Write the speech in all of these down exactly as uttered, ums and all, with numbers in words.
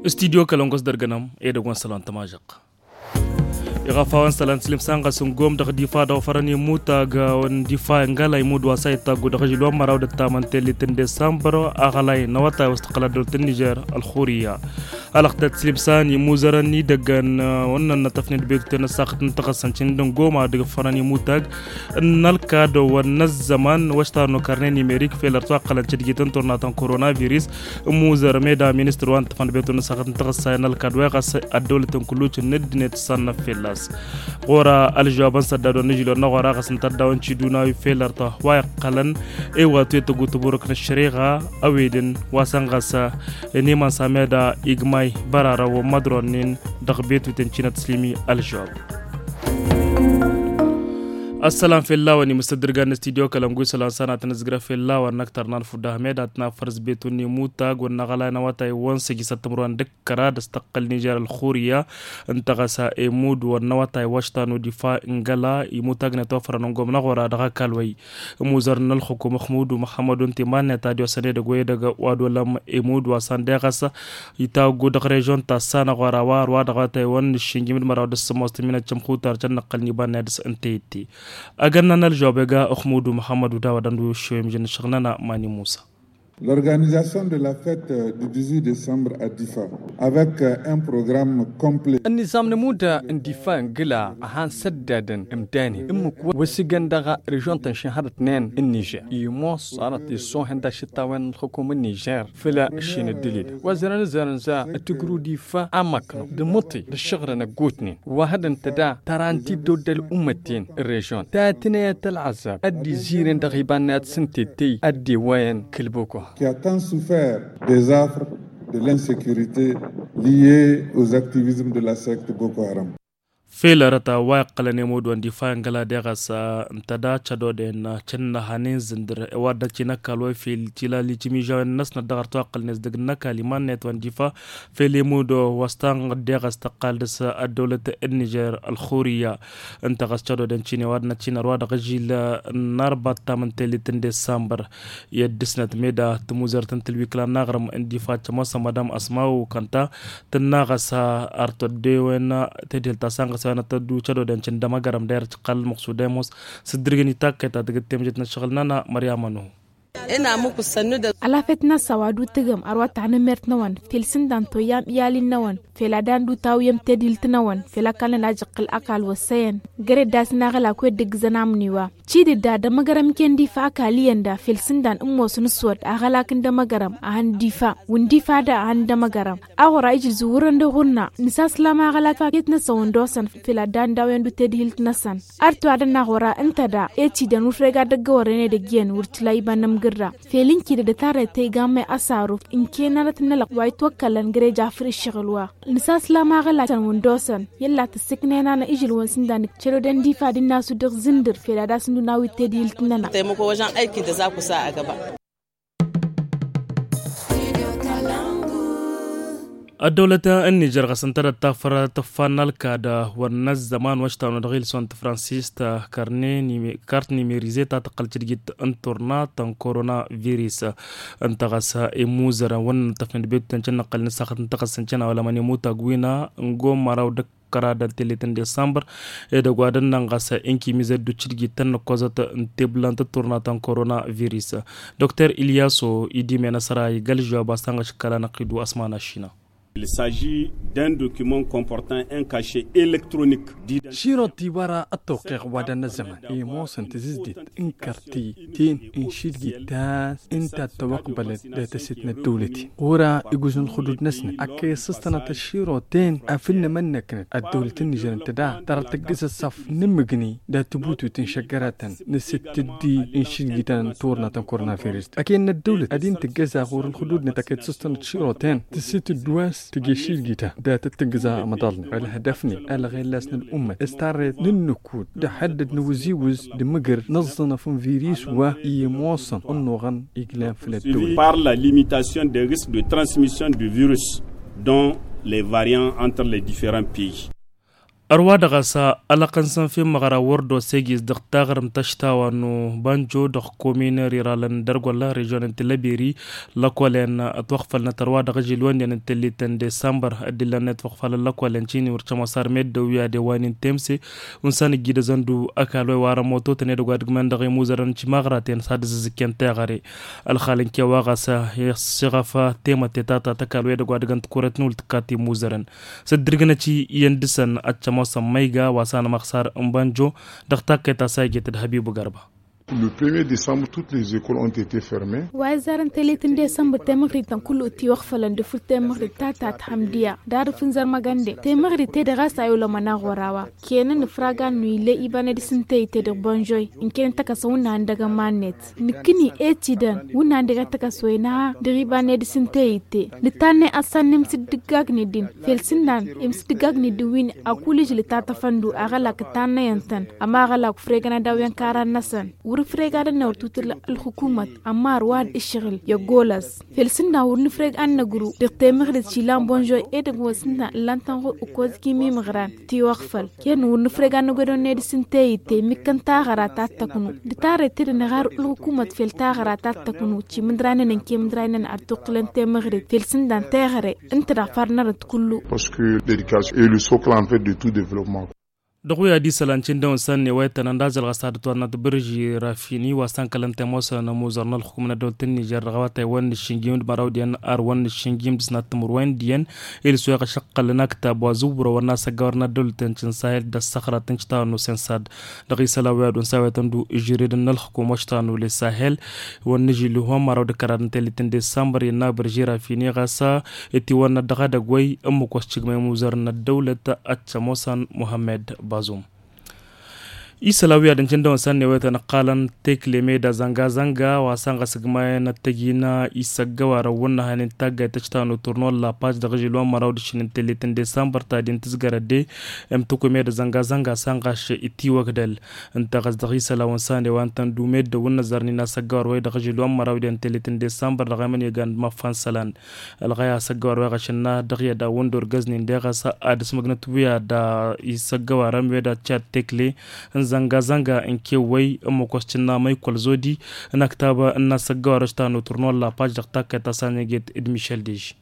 Studyo kălăngos dăr-gănăm edăgg wa n-sălan tămažăq. Iɣăf a-wa n-sălan tǝslǝm s-a n-ɣas n-gom dăɣ-difa dăɣ-fărăn imutag wa n-difa ingăla imud wa s-a ittaggu dăɣ-ažǝl wa n-măraw d-ăttamăn tellit n-desambăr aɣălay n-awătay wa s-tǝqqăl ăddăwlăt n-nižer ălxurǝyya. Alăɣ tăt-tǝslǝm s-a n-imuzărăn idăggăn wa n-nănnătăfnen d-bekten ăssaɣăt n-taɣăssăn cǝndǝn goma dăɣ-fărăn imutag n-ălkad wa n-ăzzăman wa s-tarnu karne nimerik fel ărtwa ăqqălăn cădgit n-turna ta n-koronavirus. Ǝmmuzăr meda ministăr wa n-tăfăn d-betu n-ăssaɣăt n-taɣăssayăn ălkad wa iɣas ăddăwlăt n-kulluc n-ăddinăt s-sannăf fell-a-s ɣur-a ălžăwab n-săddad wa n-ažǝl wa n-aɣora ɣas n-tăddaw n-ciduna wi fel ărtwa wa iqqălăn i-wa tuyăt tăggu tăburăk n-ăššăreɣa ăwedăn wa săn ɣas n-iman s-ameda igmay bărarăn wa n-mădronin dăɣ-betuten cinăt tǝslǝm i-ălžăwab. Ăssălam fell-a-wen imǝstăddǝrgan n-studyo kălăngu isălan s-a n-ad-tăn-ǝzgrăf fell-a-wen n-ăktăr n-alfudda ahmed ad-tăn-afăr s-betun n-imutag wa n-aɣălay n-awătay wa n-săjjǝsăt timǝrwen d-ǝkkăra d-ăstăqqăl nižer ălxurǝyya n-taɣăsa emud wa n-awătay wa s-tanu difa ingăla imutagnet wa fărăn n-gomna ɣur-a dăɣ-ăkall wa-i. Ămuzăr n-ălxukum ăxmudu măxămmădu n-timannet ad-iwăsăn edăgg wa edăgg wa d-olăm emud wa s-an deɣăs itawăggu dăɣ-režon ta s-anăɣ wa ra wa ărwa dăɣ-awătay wa n-nǝššǝnjǝm d-măraw d-ăssămoos tǝmminăt cămxutar cănnăqqăl n-ibannet s-ǝnta itti. Agănna n-ălžăwab ega ăxmudu măxămmădu dawăd ăndu ǝššăwem žănn ǝššăɣnăna mani musa. L'organisation de la fête du dix-huit décembre à Difa avec un programme complet. Ănniẓam n-ămuda n-difa n-gǝla a han săddadăn ǝmdanen ǝmmǝk wa s-igăn dăɣ-režon-tăn šin hărătnen n-nižer imoos arăt isohen d-ašǝttawen n-ălxukum n-nižer făll-ašin ăddălil wa zărăn zărăn za tǝgru difa amăknăw d-amǝṭṭi d-ăššăɣǝlăn ăggootnen wa hădăn tăda tăra n-tiddewt d-ăl'ummăten n-režon ta tǝnăyăt ălɣăzab ad-dd-iziren dăɣ-iba n-ad-sǝntettăy ad-dd-ewwăyăn kăl-boko. Qui a tant souffert des affres de l'insécurité liée aux activismes de la secte Boko Haram. Fel arăt a-wa iqqălăn emud wa n-difa ingăla deɣăs ǝnta da cădoden cǝnnăhăn inzǝndǝr i-wa dd-ăcci n-ăkall wa fel tilal icimižawen-năsnăt dăɣ-arăt wa ǝqqălnen s-dăgg n-ăkall iman-net wa n-difa fel emud wa s-tanɣăt deɣăs tăqqal dăɣ-s ăddăwlăt n-nižer ălxurǝyya. Ǝnta ɣas cădoden cine wa dd-năccinăr wa dăɣ-ažil n-arba ăttam n-tellit n-desambăr i-ăddǝsnăt meda tǝmuzărt n-tǝlwikla n-aɣrǝm n-difa cămoosăn madam asmawu kănta tǝnna ɣas artăddewen tedhel ta săn ɣas wenăt tăddu cădoden cǝndăm agărăm dayăr cǝqqal ălmăqsud emos s-ǝddǝrgǝn itakkăy ta tǝgǝt temjet n-ăššăɣǝl-nănăɣ măryamănu. Alafet n-assa wa d-utǝgăm ărwa taɣnǝmert-năwăn fel sǝndan toyyam iyalin-năwăn fel ad-andu tawǝyăm tedhilt-năwăn fel ăkall-nănăɣ ajăqqǝl ăkall wăssăyăn găre-dd a-s n-aɣălak wi ăddǝggǝzăn amniwa. Cidǝdda d-amăgărăm iken difa ăkall iyyăn da fel sǝndan ǝmmos n-ǝssod aɣălak n-dămăgărăm a hăn difa wǝn difa da a hăn dămăgărăm. Aɣora ijǝl zǝwwărăn d-aɣurna nǝsaslam aɣălak faket-năsăn wăndosăn fel ad-dd-andawăn d-tedhilt-năsăn. Ărtu ad-ănn aɣora ǝnta da ecidăn wăr făl ega dăgg-ewărren edăgg iyyăn wăr tǝla iba n-amgǝrra fel n-kidăd ătarret ta iga n-may ăsaruf n-kenanăt n-elăqq wa itwăkkălăn găre jafăr ǝššăɣǝl wa. Nǝsaslam aɣălak-tăn wăndosăn i-ălla tǝssǝknen-anăɣ ižǝl-wăn sǝndan cădoden difa d-innasu dăɣ-zǝndǝr fel ad-asǝndu n-awǝy tedhilt-nănăɣ. Ăddăwlăt n-nižer ɣas ǝntădăt tafăr tǝffa n-ălkad wăr n-ăzzăman wa ăštanu dăɣ-ilson tǝfransist kart nimerize ta tăqqăl cǝdgit n-turna ta n-koronavirus. Ǝnta ɣas imuzărăn wăr nǝnṭṭăfnen d-betutăn cǝnnăqqăl n-ǝssaxăt n-taɣăssăn cănawălămăn imutag wina n-gomăraw d-ăkk kăra dăntellet n-desambăr edăgg wa dănnăn ɣas inkimizăt d-ucǝdgit tăn-nǝkkozăt n-teblant d-turna ta n-koronavirus. Dokter ilyaso idimen ăsra igălžăwab a-s tanɣăš kăla năqqidu ăsman ašina. Il s'agit d'un document comportant un cachet électronique. Širot iwăra ăttoqeɣ wa dănna zăman i-ămoosăn tǝzǝzdet n-kărti ten n-išidgit ta-s ǝnta ad-tăwăqbălăt dat-ăset n-ăddăwlăt-in ɣur-a iguzǝn ălxudud-năsnăt ăkk i-ăssăstănăt ăšširot-en afǝnnăm ănnăknăt ăddăwlăt n-nižăr ǝnta da tărăt tǝggǝz ăṣṣaf n-imǝgni dat-tibutut n-išăggăratăn n-asǝttǝddi n-išidgităn n-turna ta n-koronavirus ăkk i-ănnăddăwlăt ad-in-tǝggăza ɣur-ălxudud-net ăkk i-tǝssǝstănăt ăšširot-en tǝssǝtǝd wa-s tǝjj išidgităn dat-dd-tǝggǝza amăḍal-net ălhădăf-net ălɣellas n-ălumăt s-tarret n-ǝnnǝkud d-ăḥăddăd n-awǝziwǝz d-amǝgǝr n-ăẓẓănăf n-virus wa i-ămoosăn ănnuɣăn iglan făll-ăddăwlăt. Par la limitation des risques de transmission du virus dont les variants entre les différents pays. Ărwa dăɣ-a-s ălăqqăn s-ănfin măɣra wăr d-osegis dăɣ-taɣrǝmt ăštawăn n-ubanjo dăɣ-komin riralăn dăr-gălla režion n-tilăbiri. Lăkolen ătwăɣfălnăt ărwa dăɣ-ažilwăn d-iyyăn n-tellit n-desambăr ăddilăn n-etwăɣfalăn lăkolen cini wăr cămosar meddǝw i-ad-ewa n-intemse. Unsan ǝjjidăzăn d-akal wa iwarăn mototăn edăgg wa d-ǝgmăn dăɣ-imuzărăn n-timaɣraten s-ad-ǝzzǝzǝkken teɣăre. Ălxal n-kewa ɣas iɣăf temătte ta ta tăkal wa edăgg wa d-ǝgăn tikuret n-ultǝkkat imuzărăn. S-dd-irgǝnăt iyyăn dăɣ-săn ad-cămosăn ma iga wa s-anămăɣsar n-banjo dăɣ-takkăyt ta s-a ijet d-hăbibu gărba. Le premier décembre toutes les écoles ont été fermées. Wa izzarăn tellit n-desămbăr temăɣrit-tăn kullu ǝttiwăɣfălăn d-afǝl temăɣrit ta ta tihămdiya d-arǝf n-zărmăgănde temăɣrit-te-dăɣ a-s a iwlămăn aɣora wa. Kenăn ǝfragan-nu ill'-e iba n-edis n-teyǝtte dăɣ-bonžoy ǝnken n-takăsăn wǝnnan dăɣ-ămannet nǝkkǝni e-t idăn wǝnnan dăɣ-e takăswen a dăɣ-iba n-edis n-teyǝtte. Nǝtannăy ăssan n-emsǝddǝggagn-i-din felsǝnnan emsǝddǝggagn-i-din wi n-a kulijǝl ǝtatăfăn-du aɣălak ǝtannăyăn-tăn. Ămaɣălak ufregăn ad-awǝyăn karan-năsăn wăr-ǝfreg ad-ănnăwăr tutǝl ălxukumăt ămma ărwa d-ǝššăɣǝl i-ăggolăs. Felsǝnnan wăr nǝfreg ad-năgru dăɣ-temăɣrit išilan bonžoy edăgg wa s-ǝnta ǝllan-tăn ɣur-ǝkkoẓ kimimăɣran tiwăɣfăl. Ken wăr nǝfreg ad-năgwedăw n-edis n-teyǝtte mikkăn taɣăra ta t-tăknu d-tarret-t-dăɣ năɣar ǝlxukumăt fel taɣăra ta t-tăknu cimǝdray-nănăn kemǝdray-nănăn ad-tuqqǝlăn temăɣrit fel sǝndan teɣăre. Ǝnta daɣ far n-arăt kullu. Parce que l'éducation est le socle en fait de tout développement. Dăɣ-wi ad-isălan cindăwăn săn n-ewăytăn ăndazăl ɣas ad-ătwănnăt bǝrži rafini wa s-tăn-kălăn temosăn ămuzăr n-ălxukum n-ăddăwlăt n-nižer dăɣ-awătay wăn n-aššǝnjim d-măraw d-iyyăn ar wăn n-aššǝnjim d-sănat timǝrwen d-iyyăn. Ilǝs weɣ ašăqqăl n-aktab wa zǝwwărăwăn n-asăggawăr n-ăddăwlăt n-cǝnsahel d-ăssăxrat n-cǝtawăn n-osensad. Dăɣ-isălan wi ad-unsa awăytăn-du žăredăn n-ălxukum wa cǝtawăn n-olesahel. Wăn n-ažil ihwan măraw d-kăraḍ n-tellit n-desambăr innă bǝrži rafini ɣas itiwănnăt dăɣ-edăgg wa i-ǝmmǝk wa s-cǝgmăy imuzăr n-ăddăwlăt ad-cămosan muhammed bazum. Isălan wi ad-ǝncǝndăwăn săn n-ewăytăn ǝqqalăn tekle meda zănga-zănga wa săn ɣas ǝgmayăn ăttăjina isăggăwarăn wǝnnăhăn n-taggayt ta cǝtanăw turno n-lapaj dăɣ-ažil wa n-măraw d-aššin n-tellit n-desambăr ta din tǝzgărăt de. Ǝmtǝkwe meda zănga-zănga săn ɣas itiwăgdăl. Ǝnta ɣas dăɣ-isălan wa n-săn ewantăn d-umeddǝw n-inăzzarnin asăggăwar wa i-dăɣ-ažil wa n-măraw d-iyyăn tellit n-desambăr dăɣ-emănega n-măffan isălan. Ălɣăy asăggăwar wa i-ɣăšănna dăɣ-i ad-awǝn d-orgăznen deɣ a-s ad-ǝsmǝgnăt wi ad-isăggăwarăn wi ad-ad-cad tekle n-zănga-zănga n-kewwăy n-măkos cǝnna măykol zodi n-aktab n-asăggăwar wa s-tanutǝr n-wălla paš dăɣ-takkăyt ta s-anăget d-mišel dež.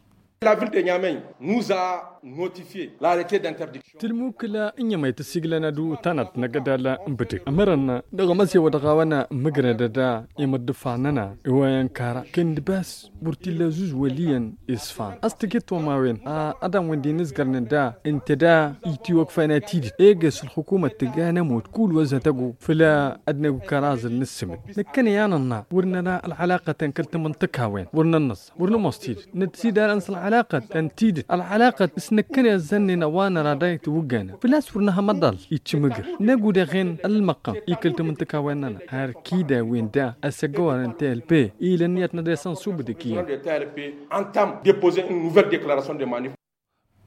La ville de nyamey nous a notifier la rete d'interdiction. Tǝlmukǝla n-iyyăm a itǝsiglăn ad-utanăt n-agădal n-bǝdǝg ămărăn dăɣ-emăzewăt ɣawăn mǝgrădăd imǝddǝfan-nănăɣ iwăyăn kara kăndǝbas wăr t-illa zuz wăl' iyyăn isfan a-s tǝjǝt tomawen a ădan wăn-dd-inǝzgărnen da ǝnta da itiwăkfăyăn a tidǝt eges ălxukumăt tǝgga n-ămood kull wăzzătăg făll-ad-năgg kăraẓ ǝnnǝssǝmǝd năkkăne i-ad-nănna wăr năra ălɣălaqătăn kăl-tamǝnṭǝkawăn wăr nănnăẓ wăr nămoos tidǝt năt-sidar ăns ălɣălaqăt ăntidǝt ălɣălaqăt s-năkkăne ăzzănnen a-wa năra da itwǝggănăn făl-a-s wăr năhăm aḍal iccǝmǝgǝr năgg udăɣen ălmăqqăm i-kăl-tamǝnṭǝkawăn-nănăɣ har kida wen da ăssăggăwărăn tlp ilăn iyyăt n-ad-esăn subǝdǝk iyyăn.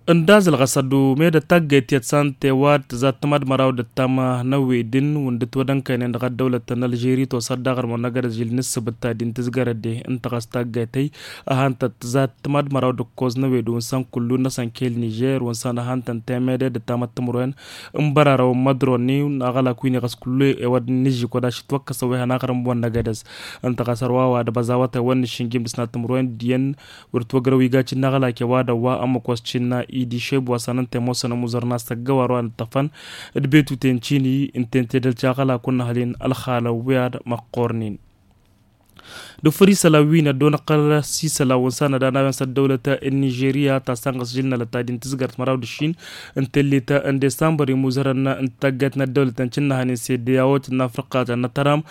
Ǝndazăl ɣas ad-umed ătaggăyt tiyyăt săn tewat tǝzat tǝmad măraw d-ăttam n-ăwwedǝn wǝndǝt wăd-ănkăynen dăɣ-ăddăwlăt n-ălžeri tosat daɣ ărmănăgăr ăžil n-ǝssǝbǝt ta din tǝzgărăt de ǝnta ɣas taggăytăy ăhantăt tǝzat tǝmad măraw d-ǝkkoẓ n-ewed wǝnsan kullu-năsăn kel-nižer wǝnsan ăhantăn temede d-ăttamăt timǝrwen n-bărarăwăn mădronni n-aɣălak wi n-iɣăs kullu ewăd n-ižžǝk wăd ašǝtwăkkăsăn wa ihănaɣrǝm wănnăgădăs. Ǝnta ɣas ărwa wa d-ăbăẓ awătay wăr nǝššǝnjim dăɣ-sănat timǝrwen d-iyyăn wăr t-wăgrăw iga cǝnna aɣălak i-wa d-ăwwa ămmăk wa s-cǝnna idi šeb wa s-anăn temosăn ămuzăr n-asăggăwar wa n-ǝṭṭăfăn d-betuten cini ǝnta ǝnta edăl ca aɣălak wăr nǝhăl-in ălxalăn wi ad-măqqornen. D-ufăr isălan wi n-ăddoon ăqqăl s-isălan wǝnsan ad-ănawăn s-ăddăwlăt n-nižerya ta sănɣăs žilnălăt ta din tǝzgărt măraw d-ǝššin n-tellit n-desambăr imuzărăn n-taggayt n-ăddăwlăt n-cǝnnăhăn n-sedde a-wa tǝnna frăqqatăn n-ătăram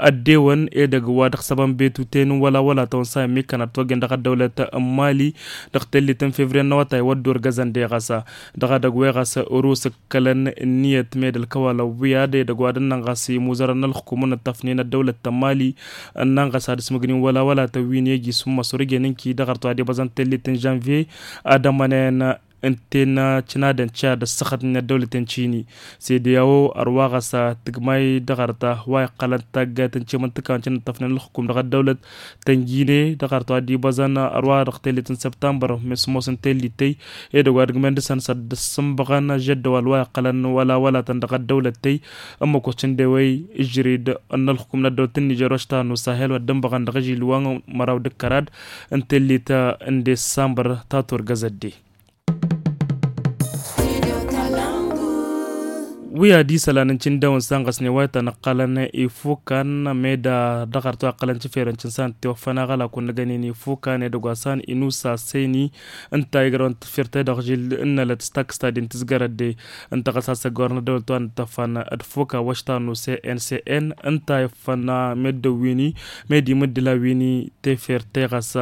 ăddewăn edăgg wa dăɣ-săbăn betuten n-wăla wăla tăwăn sa immikkăn ad-t-wăggen dăɣ-ăddăwlăt n-mali dăɣ-tellit n-fevriye n-awătay wăr dd-orgăzăn deɣăsa dăɣ-edăgg weɣas orus ǝkkălăn ǝnniyăt meddǝl kăwalăn wi ad-edăgg wa dăɣ-nănɣas imuzărăn n-ălxukum n-ǝṭṭăfnen ăddăwlăt n-mali ǝnnănɣas ad-ǝsmǝgnin wăla wăla tăwwin i-ejis n-măsur ǝjăn ǝnki dăɣ-arăt wa d-ibăẓăn tellit n-žănviye ad-ămănen Ǝnta-en cǝnadăn ca d-ăssăxăt n-ăddăwlăt n-cini. Sede a-wo ărwa ɣas tǝgmay dăɣ-arta wa iqqălăn taggayt n-cimǝntǝka n-cǝnnǝṭṭăfnen ǝlxǝkum dăɣ-ăddăwlăt tănjine dăɣ-arta wa dd-ibăẓăn ărwa dăɣ-tellit n-săbtămbăr. Mes ămoos n-tellit tey edăgg wa dăgg-men dăɣ-săn s-ad-dd-ăssǝnbăɣăn žăddăwal wa iqqălăn wăla wălatăn dăɣ-ăddăwlăt tey. Ămmăkos cǝndewăy ǝžžǝrid n-ǝlxǝkum n-ăddăwlăt n-nižer wa s-tannu sahel wa dd-ǝnbăɣăn dăɣ-ažil wa n-măraw d-ǝkkărad n-tellit n-dessambăr ta turgăz ădde. Wi ad-isălan n-cindewăn s-anɣăsnen wa itănăqqalăn ifukan meda dăɣ-arăt wa iqqălăn cǝferăn cǝnsan tiwăffăn aɣălak wăr nǝgănen ifukan edăgg wa s-an inusa seni. Ǝnta igrăwăn tǝfirte dăɣ-žil n-nălăt s-taksta din tǝzgărăt de ǝnta ɣas asăggorăn ăddăwlăt wa n-tăfan d-fuka wăštan n-usen n-sen ǝnta iffăn meddǝn wini medi mǝddǝla wini teferte ɣas.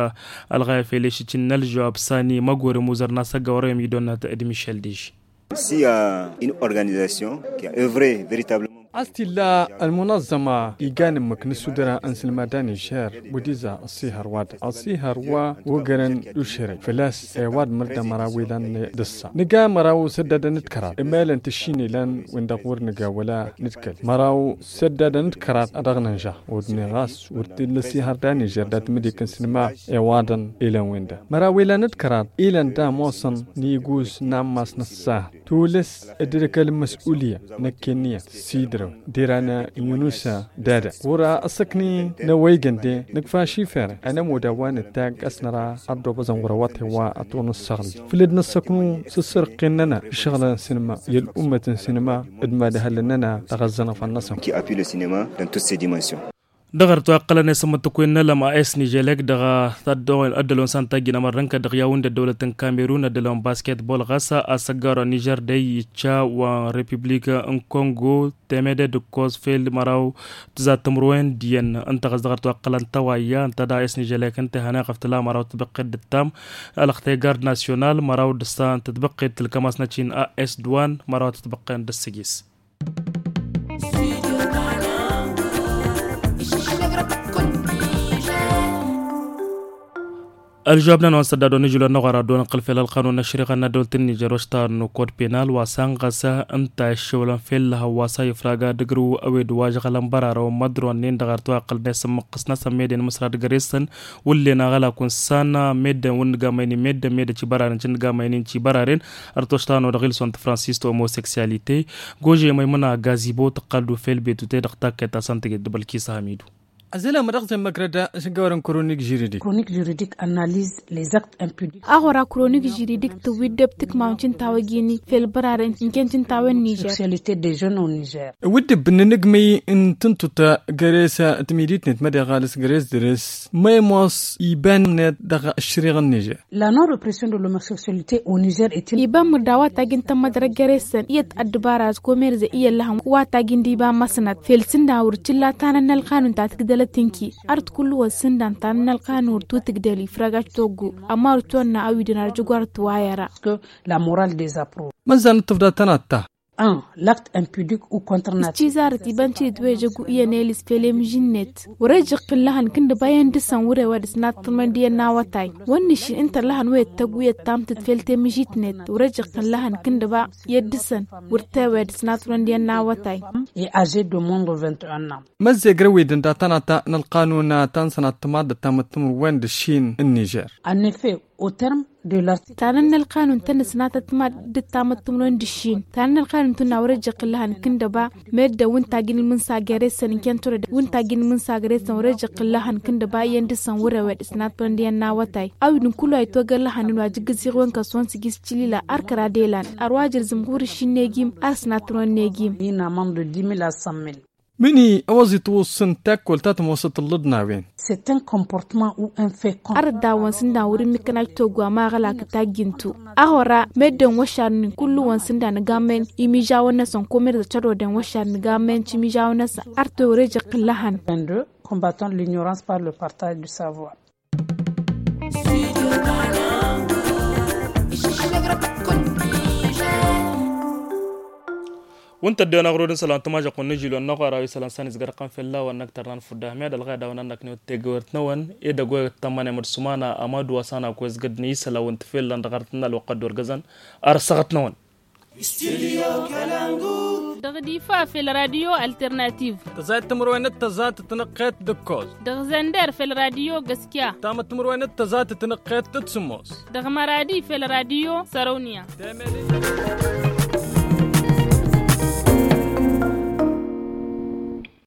Ălɣayăf eleši cǝnnăl žăwab sani măgorem uzăr n-asăg ăwrăyăm idonnat d-mišel deži. Si a une organisation qui a œuvré véritablement. A-s t-illa ălmunăẓẓăma igan ǝmmǝk n-ăssudăra n-sǝlmada nižer wăddiza ăṣṣihăr wa-dăɣ ăṣṣihăr wa ogărăn d-ušărăy făl-a-s ewad măr d-amăraw ilan d-ǝssa nǝga măraw săddadăn d-kăraḍ ămălăn tǝššin ilan win-dăɣ wăr nǝga wăla nǝdkăl măraw săddadăn d-kăraḍ a dăɣ-nǝnžăɣ. Wăr dăɣ-nǝnžăɣ wăr t-illa ăṣṣihăr d-a nižer dat-mǝdik n-sǝnma iwaḍăn ilăn win-dăɣ măraw ilăn d-kăraḍ ilăn d-amoosăn n-iguz n-ammas n-ăṣṣahăr tulǝs dd-ăkăl n-măs'ulya năkk enniyăn s-idrăw d-iran inusa d-adăɣ wăr-asăkni n-ăwăygăn de nǝkfaš ifere ănămud a-wa nǝttag a-s năra ad-dd-obăẓăn ɣur-awăṭe wa ătwănăssăɣlăn făll-dd-năssăknu s-ǝssărqqen-nănăɣ išăɣlăn sǝnma i-ăl'ummăt n-sǝnma d-imadhălăn-nănăɣ dăɣ-ăzzănăfan-năsăn. Qui appuie le cinéma dans toutes ses dimensions. Dăɣ-arăt wa iqqălăn i-sămmăttăkwen n-ălăm a s-niželek dăɣ-a ăddălon s-an tajjǝn amărrăn kăd-dăɣ i-a-wen d-ăddăwlăt n-kamerun ăddălon basketbol ɣas asăggaru anižer dăy-ića wa n-repiblik n-kongo temede d-ǝkkoẓ fel măraw tǝzat timǝrwen d-iyyăn ǝnta ɣas dăɣ-arăt wa iqqălăn tăwayya ǝnta da a s-niželek ǝnta ihăneɣ ɣăf tǝla măraw tǝbăqqed d-ǝttam ălăxte gard nasyonal măraw d-ǝssa n-tǝtbăqqed tǝlkăm-as n-ačin a s-dwan măraw tǝtbăqqen d-ǝssǝjis. Ălžăwab-nănăɣ wa n-săddadon ijǝlon n-aɣora ăddoon ăqqăl fel ălqanun n-ăššăriɣa n-ăddăwlăt n-nižer wa s-tannu kod penal wa s-anɣăs ǝnta i-ǝššăwlăn fel lăhăw wa s-a ifrag ad-ǝgrǝw ăwed wa žăɣălăn bărarăwăn mădron-nen dăɣ-arăt wa iqqălăn i-sǝmmăqqǝs-năsăn meden măsra d-găre-săn wǝllen aɣălak wǝnsan meddǝn wǝnnǝga măynin meddǝn meddǝn ci băraren ci nǝga măynin ci băraren. Ărtoštano dăɣ-ilson tǝfransis ta omoseksyalite gože măymăna gazibo tăqqal d-ufel betu te-dăɣ takkăyt ta s-ăntăged d-bălkis hamidu. Ăzălăm dăɣ-zemmăgrăd s-ăggawărăn kronik žiridik. Kronik žiridik analiz les actes impudiks. Aɣora kronik žiridik tǝwwi dd-ăb tǝkmawăn cǝntawăj-i-ni fel bărarăn n-kăyăn cǝntawăj n-nižer. Seksyalite de žeune au nižer. Wǝddǝb n-inǝgmǝy n-tǝntut găre-s tǝmiditnet mădeɣ ɣalǝs găre-s dăr-s măymoos iban-net dăɣ-ăššăriɣ n-nižer. La non repression de l'homoseksyalite au nižer. Iba mărda wa tajin tămmădrăg găre-săn iyyăt ăddăbara s-komerze iyyăt lăhăm wa tajin d-iba măsnăt fel sǝndan wăr t-illa tanăn n-ălqanun ta tǝgdălăt tǝnki. Art kullu wa sǝndan tanăn n-ălqanun wăr t-tǝgdăl ifrăgăt toggu. Ămar tonna awidăn arjăgwar tǝwayăra. La moral dezapro. Măzzan tǝfda tănatta. An lakt impudik u kontr nat. Tizarăt iba n-tidǝt wa ejăggu iyyăn elis fel emǝžin-net. Wăr-ejăɣ kǝllăhăn kǝndǝba iyyăn dăr-săn wăr-e wa dăr-s nattămăn d-iyyăn n-awătay. Wăr nǝššin ǝnta ăllăhăn wa ittăggu iyyăt tamtǝt fel temǝžit-net wăr-ejăɣ kǝllăhăn kǝndǝba iyyăt dăr-săn wăr t-e wa dăr-s nattămăn d-iyyăn n-awătay. E aze de monde vingt-un an. Măzzeg răwidăn datăn ata n-ălqanun ta n-sănat timaḍ d-tamăttămăr wen d-ǝššin n-nižer. Annefe. Tanăn n-ălqanun tăn-ăsnatăt ma d-ǝttamăt tǝmrăwăn d-ǝššin. Tanăn n-ălqanun tǝnna wăr-ăjjăɣ kǝllăhăn kǝndăba. Meddǝn wǝnta ajin ǝlmǝnsa găre-săn n-kentărăd wǝnta ajin ǝlmǝnsa găre-săn wăr-ăjjăɣ kǝllăhăn kǝndăba iyyăn dăr-săn wăr-ewed ǝsnatăt tǝmrăwăn d-iyyăn n-awătay. Awǝdǝn kullu a itwăgg ăllăhăn n-wa jǝggǝz iɣwen kăsonsi gis cǝlila. Ar kăra d-elan ar wa jǝrzǝm ɣur-ǝššin n-egim. Ar ǝsnatăt tǝmrăwăn n-egim. Inamăn d-dimil asămmil. Mini ăwăẓ-itwǝssǝn takkol ta tămoosăt ǝllǝḍna-wen. Ar ăddaawăn s-ǝndan wăr-ǝmmǝkăn ajtoggu amaɣălak tajjǝntu. Aɣora meddǝn wăššarnen kullu-wăn s-ǝndan ǝgammăyăn imižawăn-năsăn komerz ăččăroden wăššarnen ǝgammăyăn cimižawăn-năsăn. Ar tewăr ejăɣ kǝllăhăn. Combattant l'ignorance par le partage du savoir. Wǝnta ăddewăn aɣrud n-isălan tămažăqq wǝnnǝžǝl wănnăɣ wăr-awi isălan săn izgărăɣ-tăn fălla-wăn năkk tărnan fudda ahmed ălɣayda wăn-annăk n-iwăt tegăwert-năwăn. Edăgg wa tămmănem d-sumana amadu wa s-anăk wa izgădd n-isălan wǝnta fălla n-dăɣ-arăt n-alwăqq ăddoorgăzăn. Ar săɣăt-năwăn. Dăɣ-difa fel radio alternativ. Tăzayăt timǝrwen d-tăzat tinăqqet d-ǝkkoẓ. Dăɣ-zănder fel radio găskya. Tamăt timǝrwen d-tăzat tinăqqet d-sǝmmos. Dăɣ-măradi fel radio sărăwniya.